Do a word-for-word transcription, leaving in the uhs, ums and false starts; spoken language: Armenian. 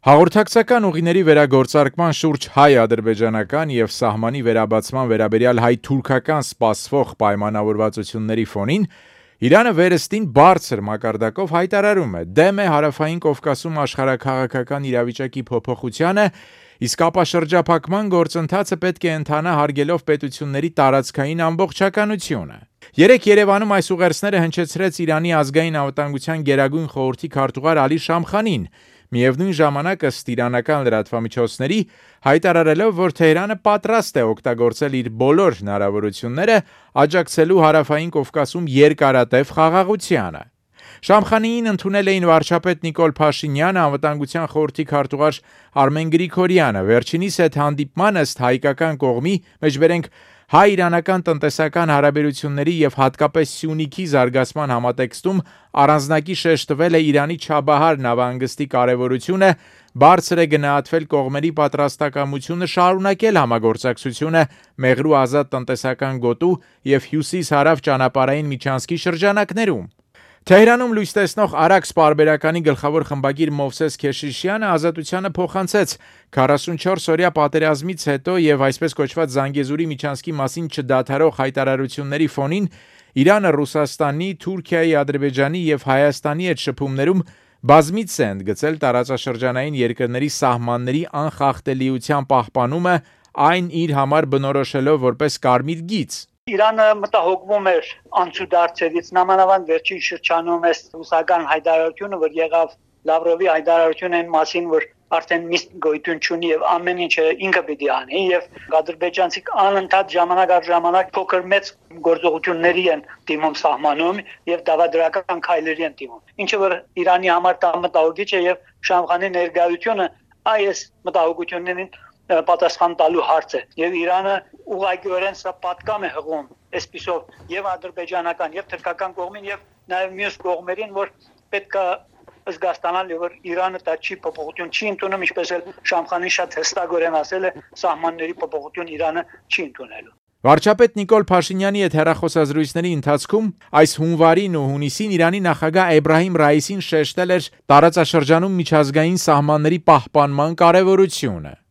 Հաղորդակցական ուղիների վերագործարկման շուրջ հայ-ադրբեջանական և սահմանի վերաբացման վերաբերյալ հայ-թուրքական սպասվող պայմանավորվածությունների ֆոնին Իրանը վերստին բարձր մակարդակով հայտարարում է դեմ է Հարավային Կովկասում աշխարհաքաղաքական իրավիճակի փոփոխությանը, իսկ ապաշրջափակման գործընթացը պետք է ընթանա հարգելով պետությունների տարածքային ամբողջականությունը։ Երեկ Երևանում այս ուղերձները հնչեցրեց Իրանի ազգային անվտանգության գերագույն խորհրդի քարտուղար Ալի Շամխանին, միևնույն ժամանակ ըստ իրանական լրատվամիջոցների հայտարարելով, որ Թեհրանը պատրաստ է օգտագործել իր բոլոր հնարավորությունները աջակցելու Հարավային Կովկասում երկարատև խաղաղությանը։ Շամխանիին ընդունել էին վարչապետ Նիկոլ Փաշինյանը, անվտանգության խորհրդի քարտուղար Արմեն Գրիգորյանը։ Վերջինիս հետ հանդիպման ըստ հայկական կողմի, մեջբերենք հայ-իրանական տնտեսական հարաբերությունների և հատկապես Սյունիքի զարգացման համատեքստում առանձնակի շեշտվել է Իրանի Չաբահար նավահանգստի կարևորությունը, բարձր է գնահատվել կողմերի պատրաստակամությունը շարունակել համագործակցությունը Մեղրու ազատ տնտեսական գոտու և հյուսիս-հարավ ճանապարհային միջանցքի շրջանակներում։ Թեհրանում լույս տեսնող Արաքս պարբերականի գլխավոր խմբագիր Մովսես Քեշիշյանը Ազատությանը փոխանցեց քառասունչորս օրյա պատերազմից հետո և այսպես կոչված Զանգեզուրի միջանցքի մասին չդադարող հայտարարությունների ֆոնին Իրանը Ռուսաստանի, Թուրքիայի, Ադրբեջանի և Հայաստանի հետ շփումներում բազմիցս է ընդգծել տարածաշրջանային երկրների սահմանների անխախտելիության պահպանումը, այն իր համար բնորոշելով որպես կարմիր գիծ։ Իրանը մտահոգվում էր անցուդարձերից, նամանավանդ վերջին շրջանում է ռուսական հայտարարությունը, որ եղավ Լավրովի հայտարարությունը այն մասին, որ արդեն միշտ գոյություն չունի եւ ամեն ինչը ինքը պիտի անի եւ ադրբեջանցիք անընդհատ ժամանակ առ ժամանակ փոքր մեծ գործողությունների են դիմում սահմանում եւ դավադրական քայլերի են դիմում, ինչը որ Իրանի համար մտահոգիչ է եւ Շամխանի ներկայությունը այս մտահոգություններին պատասխան տալու հարց է եւ Իրանը ուղղակիորեն սա պատկամ է հղում այսպիսով եւ ադրբեջանական եւ թուրքական կողմին եւ նաեւ մյուս կողմերին, որ պետք է զգաստանալ, որ Իրանը դա չի փոփոխություն չի ընդունում, ինչպես էլ Շամխանին շատ հստակորեն ասել է, սահմանների փոփոխություն Իրանը չի ընդունելու։ Վարչապետ Նիկոլ Փաշինյանի հետ հեռախոսազրույցների ընթացքում այս հունվարին ու հունիսին Իրանի նախագահ Էբրահիմ Ռայիսին շեշտել էր տարածաշրջանում միջազգային սահմանների պահպանման կարևորությունը։